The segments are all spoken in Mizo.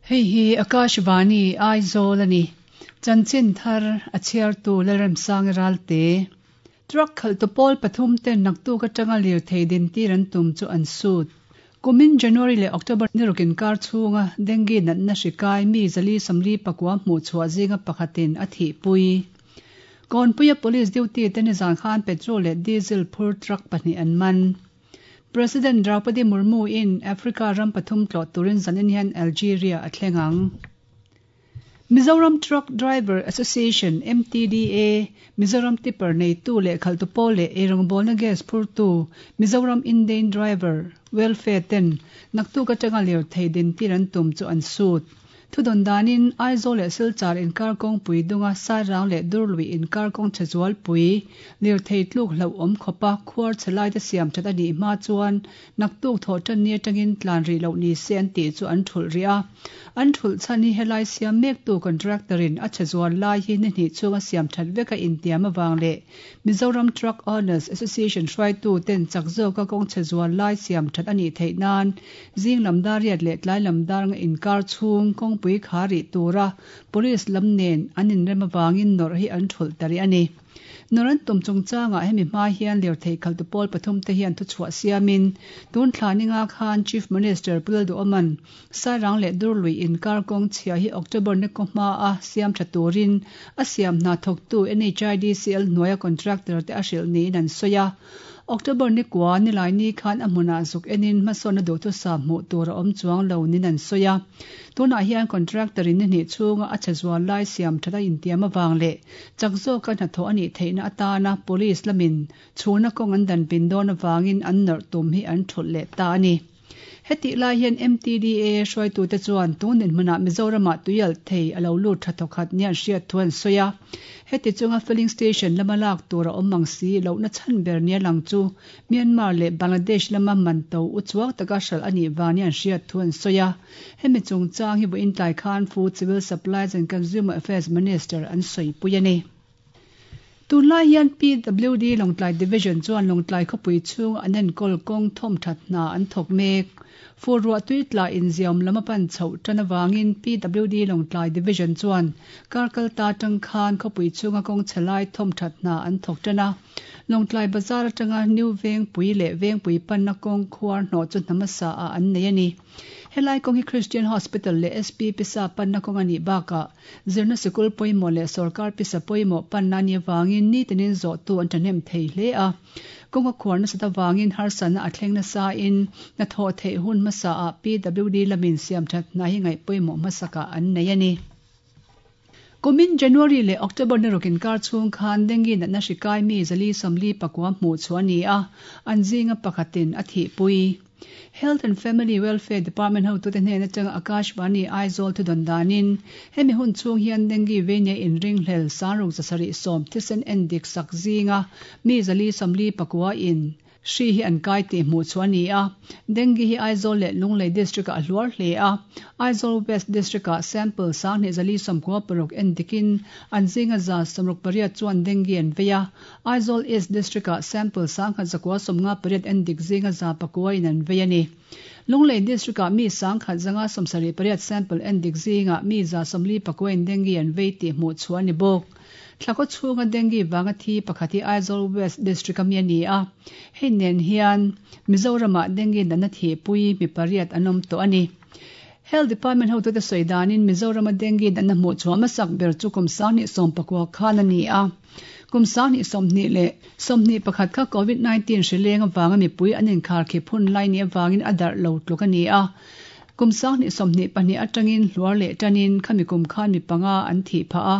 Hei hi Akashvani, Aizawl a ni. Chanchin thar a chhiartu Lalremsangi Ralte. Truck khalhtu pawl pathum ten naktuk atanga lirthei dintir an tum chu an sut. Kumin January leh October ni ruk inkar chhunga dengue natna hri kai mi 441 hmuh chhuah zinga pakhatin a thihpui. Kawnpuia police duty te nizan khan petrol leh diesel phur truck pahnih an man. President Draupadi Murmu in Africa ram pathum tlawh turin zanin hian Algeria a thleng ang. Mizoram Truck Driver Association, MTDA, Mizoram Tipper neitu leh khalhtu pawl leh eirawngbawlna gas phurtu Mizoram Indane Driver Welfare ten naktuk atanga lirthei dintir an tum chu an sut. Thudawn danin Aizawl leh Silchar inkar kawngpui dunga Sairang leh Durlui inkar kawng chhe zualpui lirthei tluk hlauhawm khawpa khuar chhe laite siam that a nih hma chuan Naktuk thawh tan ni atangin tlan rih loh ni se an tih chu an thulh rih a. An thulh chhan hi helai siam mektu contractor in a chhe zual lai hi ni hnih chhunga siam that veka intiam avang leh Mizoram Truck Owners Association hruaitu ten chak zawka kawng chhe zual lai siam that a nih theih nan zing lam dar riat leh tlai lam dar nga inkar chhung kawngpui kha rih tura Police lam nen an inrem avangin nawrh hi an thulh ta rih a ni. Nawrh tum chungchangah hemi hma hian lirthei khaltu pawl pathum te hian thuchhuah siamin tun thla ninga khan Chief Minister Pu Lalduhawman Sairang leh Durlui inkar kawng chhia hi October ni kaw hma a siam tha turin a siam hna thawktu NHIDCL hnuaia contractor te a hrilh niin an sawi a. October ni kua nilai ni khan a hmunah zuk enin hmasawnna duhthusam hmuh tur a awm chuang lo niin an sawi a. Tunah hian contractor in ni hnih chhunga a chhe zual lai siam that a intiam avang leh chak zawka hnathawh a nih theihna atana police lamin chhuna kawng an dan pin dawn avangin an nawrh tum hi an thulh leh ta a ni. Hetih lai hian MTDA hruaitute chuan tun dinhmunah Mizoramah tuialh thei a lo lut tha thawkhat nia an hriat thu an sawi a. Heti chunga filling station lama lak tur a awm ang si lohna chhan ber nia lang chu Myanmar leh Bangladesh lama man to u chuak taka hralh a nih vang nia an hriat thu an sawi a. Hemi chungchang hi vawiin tlai khan Food, Civil Supplies and Consumer Affairs Minister an sawipui a ni. Tunlai hian PWD Lawngtlai Division chuan Lawngtlai khawpui chhunga an enkawl kawng thawmthat hna an thawk mek. Fur ruah tui tla inziawm lam a pan chhoh tan avangin PWD Lawngtlai Division chuan kar kal ta atang khan khawpui chhunga kawng chhe lai thawmthat hna an thawk tan a. Lawngtlai Bazar atanga New Vengpui leh Vengpui panna kawng khuar hnawh chu hna hmasa ah an nei a ni. Helai kawng hi Christian Hospital leh SP pisa panna kawng a nih bakah Zirna sikul pawimawh leh sorkar pisa pawimawh panna a nih avangin nitinin zawhtu an thahnem thei hle a. Kawng a khuar nasat avangin harsatna a thleng nasain hnathawh theih hun hmasaah PWD lamin siamthat hna hi ngaih pawimawh hmasakah an nei a ni. Kumin January leh October ni ruk inkar chhung khan dengue natna hri kai mi 449 hmuh chhuah a ni a, an zinga pakhatin a thihpui. Health and Family Welfare Department hotute hnen atanga Akashvani Aizawl thudawn danin, hemi hun chhung hian dengue veinia inringhlel sangruk 710 thisen endik sak zinga mi 449 in hri hi an kai tih hmuh chhuah a ni a. Dengue hi Aizawl leh Lunglei District-ah a hluar hle a. Aizawl West District-ah sample 2196 endikin an zinga 68 chuan dengue an vei a. Aizawl East District-ah sample 1198 en dik zinga 9 in an vei a ni. Lunglei District-ah mi 1178 sample en dik zingah mi 49 in dengue an vei tih hmuh chhuah a ni bawk. Thlakaw chhunga dengue vanga thi pakhat hi Aizawl West District-a mi a ni a. Hei nen hian Mizoramah dengue natna thihpui mi pariat an awm tawh a ni. Health Department hotute sawi danin Mizorama dengue natna hmuh chhuah hmasak ber chu kum 2019 khan a ni a. Kum 2021 kha Covid 19 hri leng avanga mipui an inkharkhip hun lai ni avangin a darh lo tluk a ni a. Kum 2022 atangin hluar leh tanin khami kum khan mi panga an thih phah a.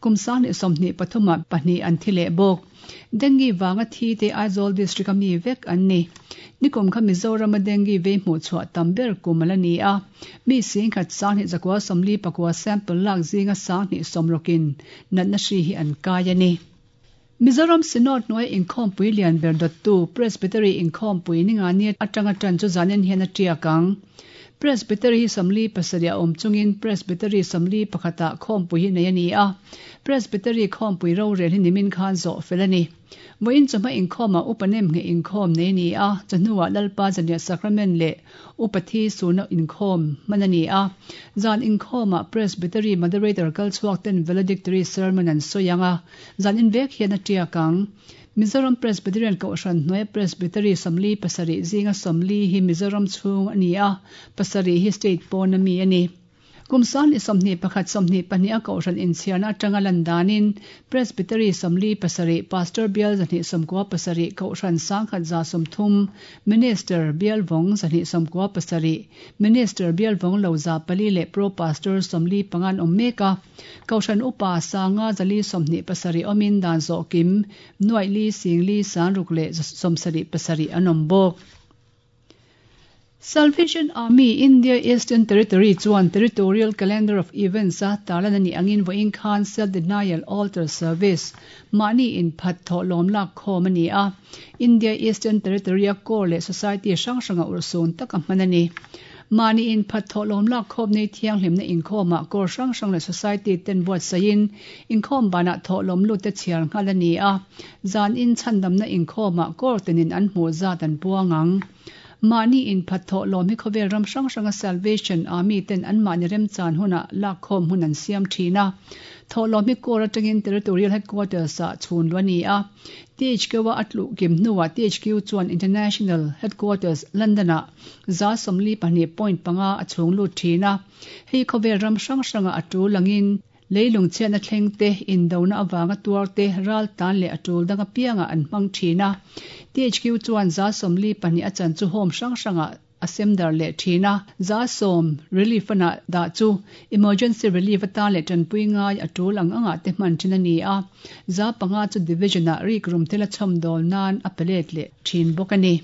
Kum 2023 ah pahnih an thi leh bawk. Dengue vanga thi te Aizawl District a mi vek an ni. Nikum kha Mizorama dengue vei hmuh chhuah tam ber kum a la ni a. Mi singkhat 2149 sample lak zinga 260 in natna hri hi an kai a ni. Mizoram Synod hnuai inkhawmpui lian ber dawttu Presbytery inkhawmpui ni nga ni atanga tan chu zanin hian a tiak ang. Presbytery hi 47 a awm chungin Presbytery 41 ah khawmpui hi nei a ni a. Presbytery khawmpui rorel hi nimin khan zawh fel a ni. Vawiin chawhma inkhawmah Upa Nemngheh inkhawm nei a ni a, chawhnuah Lalpa Zanriah Sacrament leh Upa Thi Surna inkhawm hman a ni a. Zan inkhawmah Presbytery Moderator kal chhuak ten Valedictory Sermon an sawi ang a, zan in vek hian a tiak ang. Mizoram Presbyterian Kohhran hnuaia Presbytery 47 zinga 40 hi Mizoram chhung a ni a, pasarih hi state pawna mi a ni. Kum 2021, 22 a Kohhran inchhiarna atanga lan danin Presbytery 47, Pastor bial 297, Kohhran 1130, Minister bial vawng 297, Minister bial vawng lo 400 leh Pro Pastor 45 an awm mek a. Kohhran upa 5427 awmin dan zawh kim nuaih li sing li san ruk leh 77 an awm bawk. Salvation Army India Eastern Territory chuan Territorial Calendar of Events a tarlan a nih angin vawiin khan Self Denial Altar Service mahni inphat thawhlawm lak khawm a ni a. India Eastern Territory a Corps leh Society hrang hranga urhsun taka hman a ni. Mahni inphat thawhlawm lak khawm nei thianghlimna inkhawmah Corps hrang hrang leh Society ten buatsaihin inkhawm banah thawhlawm lut te chhiar nghal a ni a. Zan in chhandamna inkhawmah Corps tinin an hmuh zat an puang ang. Mahni inphat thawhlawm hi khawvel ram hrang hranga Salvation Army ten anmahni remchan hunah lakkhawm hun an siam thin a. Thawhlawm hi Corps atangin Territorial Headquarters ah chhun luh a ni a. THQ-a a tluh kim hnuah THQ chuan International Headquarters, London ah 42.5 a chhung lut thin a. Hei khawvel ram hrang hranga a tul angin Leilung chhiatna thleng te, indona avanga tuar te, ral tan leh a tul dang apiangah an hmang thin a. THQ chuan 42 a chan chu home hrang hrangah a sem dar leh thin a. 10% relief a dah chu emergency relief atan leh tanpui ngai a tul ang angah te hman thin a ni a. 5% chu division-ah rikrum thil a chhawmdawl nan a pe let leh thin bawk a ni.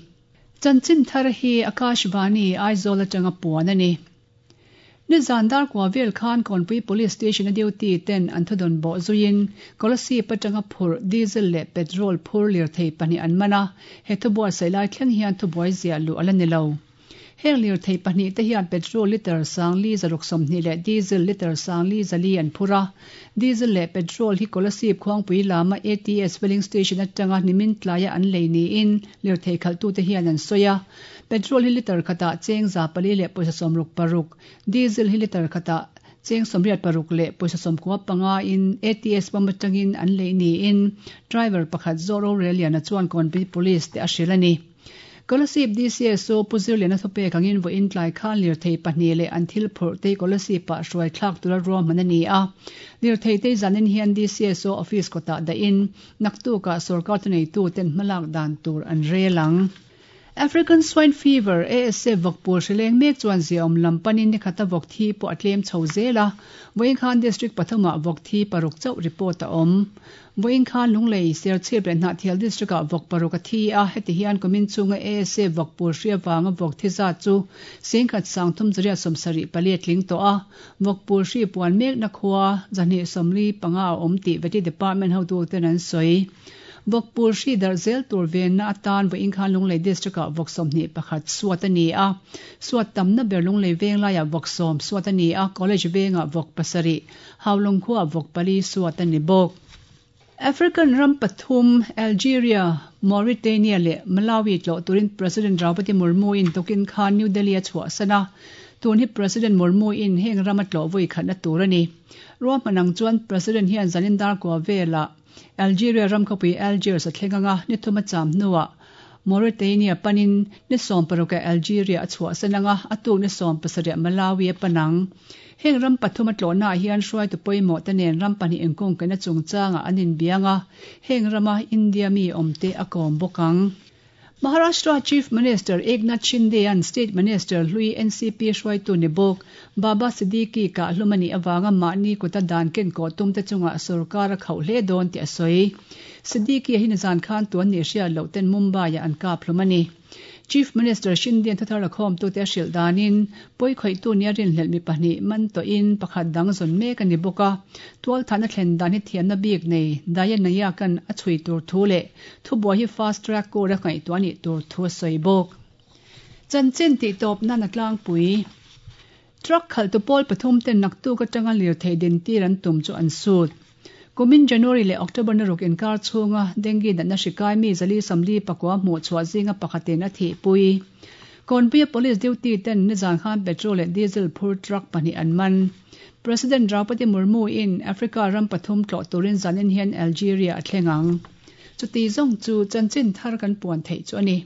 Chanchin thar hi Akashvani, Aizawl atanga puan a ni. Nizan dar kua vel khan Kawnpui Police Station a duty ten an thudawn bawh zuiin Kolasib atanga phurh diesel leh petrol phur lirthei pahnih an man a, he thubuatsaih lai thleng hian thubuai ziah luh a la ni lo. Heng lirthei pahnih te hian petrol litre 5620 leh diesel litre 5400 an phur a. Diesel leh petrol hi Kolasib Khuangpui lama ATS filling station atanga nimin tlaia an lei niin lirthei khalhtute hian an sawi a. Petrol hi litre khatah cheng 400 leh pawisa 66, diesel hi litre khatah cheng 86 leh pawisa 95 in ATS pump atangin an lei niin driver pakhat zawh rorelliana chuan Kawnpui Police te a hrilh a ni. Kolasib DCSO Pu Zirliana thupek angin vawiin tlai khan lirthei pahnih leh an thil phurh te Kolasib ah hruai thlak tura ruahman a ni a. Lirthei te zanin hian DCSO office kawtah dahin naktukah sorkar thuneitu ten hmalak dan tur an rel ang. African Swine Fever, ASF, vawkpul hri leng mek chuan ziaawm lam panin ni khata vawk thi pawh a tlem chho zel a, vawiin khan District pathumah vawk thi paruk chauh report a awm. Vawiin khan Lunglei, Serchhip leh Hnahthial District-ah vawk paruk a thi a, heti hian kumin chunga ASF vawkpul hri avanga vawk thi zat chu 1374 a tling tawh a, vawkpul hri puan mekna khua 245 a awm tih Vety Department hotuten an sawi. Vawkpul hri darh zel tur venna atan vawiin khan Lunglei District-ah vawk 21 suat a ni a. Suat tamna ber Lunglei veng laiah vawk sawm suat a ni a, College vengah vawk pasarih, Haulawng khuaah vawk pali suat a ni bawk. African ram pathum, Algeria, Mauritania leh Malawi tlawh turin President Draupadi Murmu-in tukin khan New Delhi a chhuahsan a. Tun hi President Murmu-in heng rama tlawh vawi khatna tur a ni. Ruahman ang chuan President hian zanin dar kua velah Algeria ram khawpui Algiers a thleng anga ni thum a cham hnuah Mauritania panin ni sawmparukah Algeria a chhuahsan anga a tuk ni sawmpasarih Malawi a pan ang. Heng ram pathum a tlawhnaah hian hruaitu pawimawh te nen ram pahnih inkungkaihna chungchangah an inbiang a, heng rama India mi awmte a kawm bawk ang. Maharashtra Chief Minister Eknath Shinde-a'n State Minister hlui NCP hruaitu ni bawk Baba Siddiqui kah hlum a nih avanga mahni kuta dan ken kawh tumte chungah sorkar a khauh hle dawn tih a sawi. Siddiqui-a hi nizan khan tuan nih hriat loh ten Mumbai-ah an kap hlum a ni. Chief Minister Shinde-a'n thuthar la khawmtute a hrilh danin pawi khawihtu nia rinhlelh mi pahnih man tawhin pakhat dang zawn mek a ni bawk a. Tualthahna thlen dan hi thiamna bik nei Daya Nayak-a'n a chhui tur thu leh Thubuai hi fast track court a ngaihtuah a nih tur thu a sawi bawk. Chanchin tih tawp nan a tlangpui. Truck khalhtu pawl pathum ten naktuk atanga lirthei dintir an tum chu an sut. Kumin January leh October ni ruk inkar chhunga dengue natna hri kai mi 449 hmuh chhuah zinga pakhatin a thihpui. Kawnpuia police duty ten nizan khan petrol leh diesel phur truck pahnih an man. President Draupadi Murmu in Africa ram pathum tlawh turin zanin hian Algeria a thleng ang. Chuti zawng chu chanchin thar kan puan theih chu a ni.